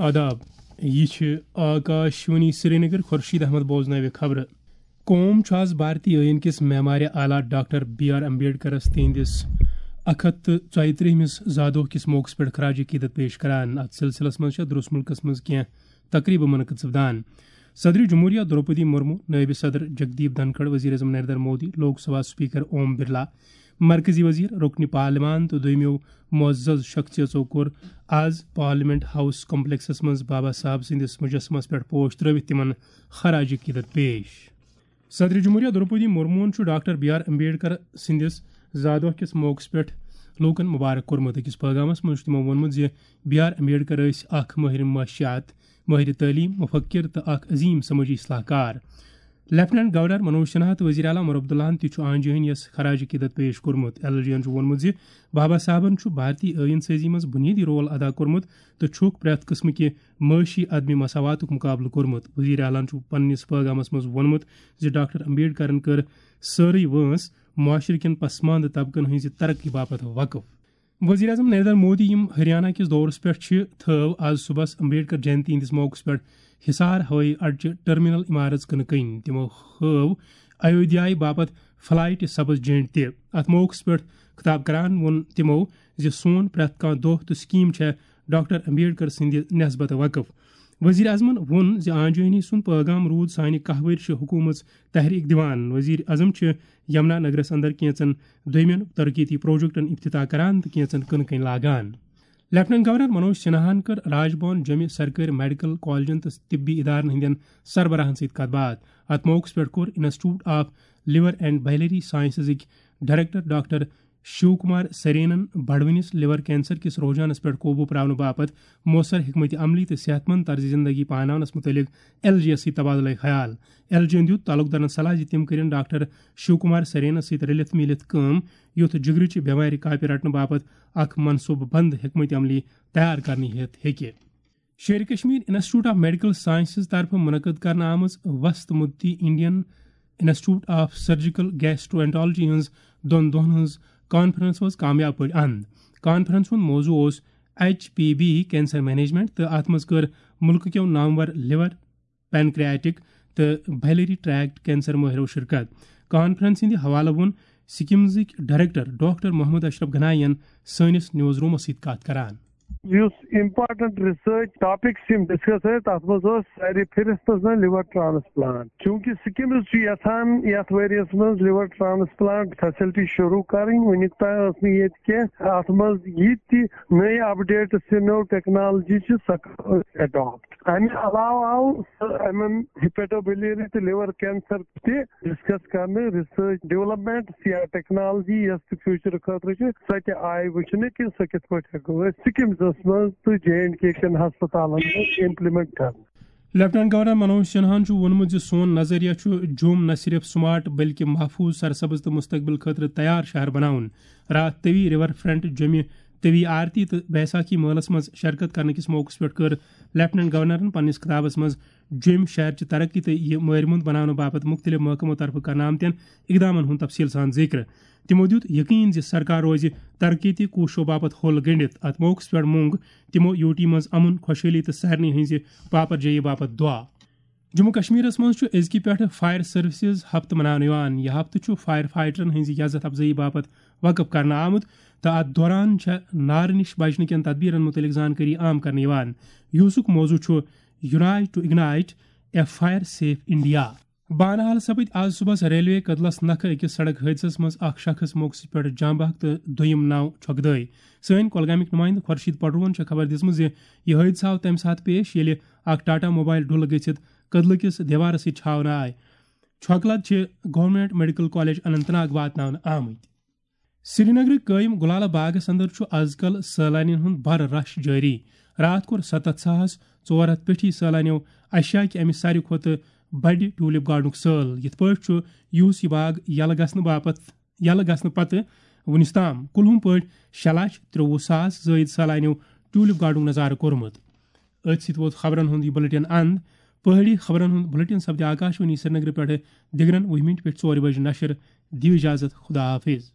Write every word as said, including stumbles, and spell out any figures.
آداب، یہِ چھِ آکاشوانی سرینگر۔ خورشید احمد بوزناوِ خبرٕ۔ قوم چھُ آز بھارتی ٲییٖن کِس معمارِ اعلیٰ ڈاکٹر بی آر امبیڈکرس تِہنٛدِس اکھ ہتھ تہٕ ژۄیہِ ترٛہمِس زادوہ کِس موقعس پٮ۪ٹھ خراج عقیدت پیش کران۔ اتھ سلسلس منٛز چھےٚ درس مُلکس منٛز کینٛہہ تقریبہٕ منعقد سپدان۔ صدر جمہوریہ درٛوپدی مرمو، نائب صدر جگدیپ دھنکھڑ، وزیر اعظم نریندر مودی، لوک سبھا اسپیکر اوم برلا، مرکزی وزیر، رکن پارلیمان تہٕ دوٚیمیو معزز شخصیژو کوٚر آز پارلیمنٹ ہاؤس کمپلیکسس منٛز بابا صاحب سٕنٛدِس مجسمس پٮ۪ٹھ پوش ترٲوِتھ تِمن خراج عقیدت پیش۔ صدر جمہوریہ درٛوپدی مرموہن چھُ ڈاکٹر بی آر امبیڈکر سٕنٛدِس زادوہ کِس موقعس پٮ۪ٹھ لوٗکن مبارک کوٚرمُت۔ أکِس پٲغامس منٛز چھُ تِمو ووٚنمُت زِ بی آر امبیڈکر ٲسۍ اکھ مٲہر معاشیات، مٲہر تعلیٖم، مفکر تہٕ اکھ عظیٖم سمٲجی اصلاح کار۔ لیفٹیننٹ گورنر منوج سنہا تہٕ وزیر اعلیٰ عمر عبداللہن تہِ چھُ آنجہنیس خراج عقیدت پیش کوٚرمُت۔ ایل جی ین چھُ ووٚنمُت زِ بابا صاحبن چھُ بھارتی ٲیٖن سٲزی منٛز بُنیٲدی رول ادا کوٚرمُت تہٕ چھُکھ پرٛٮ۪تھ قٕسمہٕ کہِ معاشی عدم مساواتُک مقابلہٕ کوٚرمُت۔ وزیر اعلیٰ ہن چھُ پننِس پٲغامس منٛز ووٚنمُت زِ ڈاکٹر امبیڈکرن کٔر سٲرٕے وٲنٛس معاشرٕ کٮ۪ن پسماندٕ طبقن ہٕنٛزِ ترقی باپتھ وقف۔ وزیر اعظم نریندر مودی، یِم ہریانہ کِس دورس پٮ۪ٹھ چھِ، تھٲو آز صبحس امبیڈکر جینتی ہٕنٛدِس موقعس پٮ۪ٹھ حصار ہوٲیی اڈچہِ ٹرمینل عمارژ کٕنہٕ کٕنۍ۔ تِمو ہٲو ایودھیایہِ باپتھ فلائٹ سبز جینٹ تہِ۔ اتھ موقعس پٮ۪ٹھ خطاب کران ووٚن تِمو زِ سون پرٛٮ۪تھ کانٛہہ دۄہ تہٕ سکیٖم چھےٚ ڈاکٹر امبیڈکر سٕنٛدِ نسبتہٕ وقف۔ وزیر اعظمن ووٚن زِ آنجہنی سُنٛد پٲغام روٗد سانہِ کاہ ؤرشہِ حکوٗمژ تحریک دِوان۔ وزیر اعظم چھِ یمنا نگرس اندر کینژن دوٚیمٮ۪ن ترقیتی پروجیکٹن افتتاح کران تہٕ کینژن کٕنہٕ کٕنۍ لاگان۔ لیفٹیننٹ گورنر منوج سنہاہن کٔر راج بھون جوٚمہِ سرکٲرۍ میڈیکل کالجن تہٕ طبی ادارن ہٕنٛدٮ۪ن سربراہن سۭتۍ کتھ باتھ۔ اتھ موقعس پٮ۪ٹھ کوٚر institute of liver and biliary سائنسزٕکۍ ڈائریکٹر ڈاکٹر شیو کمار سرینن بڑوٕنِس لیور کینسر کِس رجحانس پٮ۪ٹھ قوبوٗ پراونہٕ باپتھ مؤثر حکمت عملی تہٕ صحت مند طرز زندگی پاناونس متعلق ایل جی یس سۭتۍ تبادلہ خیال۔ ایل جی ین دیُت تعلق دارن صلاح زِ تِم کٔرِن ڈاکٹر شیو کمار سرینس سۭتۍ رلِتھ میٖلِتھ کٲم، یُتھ جگرٕچہِ بٮ۪مارِ کاپہِ رٹنہٕ باپتھ اکھ منصوٗبہٕ بند حکمت عملی تیار کرنہٕ ہٮ۪تھ ہیٚکہِ۔ Sher-i-Kashmir institute of medical sciences طرفہٕ منعقد کرنہٕ آمٕژ وسط مدتی Indian institute of surgical gastroenterology ہٕنٛز دۄن دۄہن ہٕنٛز کانفرنس وٲژ کامیاب پٲٹھۍ اند۔ کانفرنس ہُنٛد موضوع اوس H P B cancer management تہٕ اتھ منٛز کٔر مُلکہٕ کیو نامور لیور، پینکریاٹک تہٕ بائلری ٹریکٹ کینسر مٲہرو شرکت۔ کانفرنس ہٕنٛدِ حوالہٕ ووٚن سکمزٕکۍ ڈائریکٹر ڈاکٹر محمد اشرف گنایی ین سٲنِس نیوز رومس سۭتۍ کتھ کران۔ یُس امپارٹنٹ ریسرچ ٹاپکس یِم ڈسکس ٲسۍ، تتھ منٛز اوس سارِ فہرستس منٛز لیور ٹرانسپلانٹ۔ چونکہ سکمز چھُ یژھان یتھ ؤریس منٛز لیور ٹرانسپلانٹ فیسلٹی شروع کرٕنۍ، وُنیُک تام ٲس نہٕ ییٚتہِ کینٛہہ۔ اتھ منٛز یہِ تہِ نٔے اپڈیٹس تہٕ نٔو ٹیکنالوجی چھِ، سۄ کرو أسۍ اڈاپٹ۔ امہِ علاوٕ آو سُہ یِمن ہیپیٹوبیلری تہٕ لیور کینسر تہِ ڈسکس کرنہٕ۔ ریسرچ ڈیولپمنٹ یا ٹیکنالوجی یۄس تہِ فیوچر خٲطرٕ چھِ، سۄ تہِ آیہِ وٕچھنہٕ کہِ سۄ کِتھ پٲٹھۍ ہٮ۪کو أسۍ سکمزس منٛز تہٕ جے اینڈ کے کٮ۪ن ہسپتالن منٛز امپلیمنٹ کرنہٕ۔ لیفٹیننٹ گورنر منوج سنہاہن چھُ ووٚنمُت زِ سون نظریہ چھُ جوٚم نہ صرف سمارٹ بلکہِ محفوظ، سرسبز تہٕ مستقبل خٲطرٕ تیار شہر بناوُن۔ راتھ تٔوی ریور فرنٹ جوٚمہِ تٔوی آرتی تہٕ بیساکھی مٲلَس منٛز شرکت کرنہٕ کِس موقعس پٮ۪ٹھ کٔر لیفٹیننٹ گورنرن پننِس خطابس منٛز جوٚمۍ شہرچہِ ترقی تہٕ یہِ مٲرمُنٛد بناونہٕ باپتھ مُختٔلِف محکمو طرفہٕ کرنہٕ آمتٮ۪ن اقدامن ہُنٛد تفصیٖل سان ذِکر۔ تِمو دیُت یقین زِ سرکار روزِ ترقیتی کوٗششو باپتھ ہوٚل گٔنٛڈِتھ۔ اتھ موقعس پٮ۪ٹھ مۄنٛگ تِمو یوٗ ٹی منٛز امن، خۄشحٲلی تہٕ سارنٕے ہٕنٛزِ پاپرجٲیی باپتھ دعا۔ جموں کشمیرس منٛز چھُ أزکہِ پٮ۪ٹھٕ فائر سروسز ہفتہٕ مناونہٕ یِوان۔ یہِ ہفتہٕ چھُ فائر فائٹرن ہٕنٛزِ عزت افزٲیی باپتھ وقف کرنہٕ آمُت تہٕ اتھ دوران چھےٚ نارٕ نِش بچنہٕ کٮ۪ن تدبیرن مُتعلق زانکٲری عام کرنہٕ یِوان۔ یُسُک موضوع چھُ Unite to Ignite a Fire Safe India۔ Banihal سپٕدۍ آز صبحس ریلوے کدلس نکھٕ أکِس سڑک حٲدثس منٛز اکھ شخص موقعس پٮ۪ٹھ جاں بحق تہٕ دوٚیِم نو چھۄکہٕ دٲے۔ سٲنۍ کۄلگامٕکۍ نُمٲیندٕ خورشید پڈروہن چھےٚ خبر دِژمٕژ زِ یہِ حٲدثہٕ آو تَمہِ ساتہٕ پیش، ییٚلہِ اکھ ٹاٹا موبایل ڈُلہٕ گٔژھِتھ کدلہٕ کِس دیوارس سۭتۍ چھاونہٕ آے۔ چھۄکہٕ لد چھِ government medical college Anant Nag واتناونہٕ آمٕتۍ۔ سرینگرٕکۍ قٲیِم گُلالہ باغس اندر چھُ از کل سٲلانین ہُنٛد بڑٕ رش جٲری۔ راتھ کوٚر ستتھ ساس ژور ہتھ پیٹھی سٲلانیو اشیا کہِ امہِ ساروی کھۄتہٕ بڑِ ٹیولپ گارڈنُک سٲل۔ یِتھ پٲٹھۍ چھُ یُہُس یہِ باغ یلہٕ گژھنہٕ باپتھ، یلہٕ گژھنہٕ پتہٕ وُنِس تام کُلہُم پٲٹھۍ شےٚ لچھ ترٛوٚوُہ ساس زٲیِد سٲلانیو ٹیولپ گارڈنُک نظارٕ کوٚرمُت۔ أتھۍ سۭتۍ ووت خبرن ہُنٛد یہِ بلیٹن اند۔ پہٲڑی خبرن ہُنٛد بلیٹن سپدِ آکاشوانی سرینگرٕ پٮ۪ٹھٕ دِگرن وُہہِ مِنٹہِ پٮ۪ٹھ ژورِ بجہِ نشر۔ دِیِو اجازت، خدا حافظ۔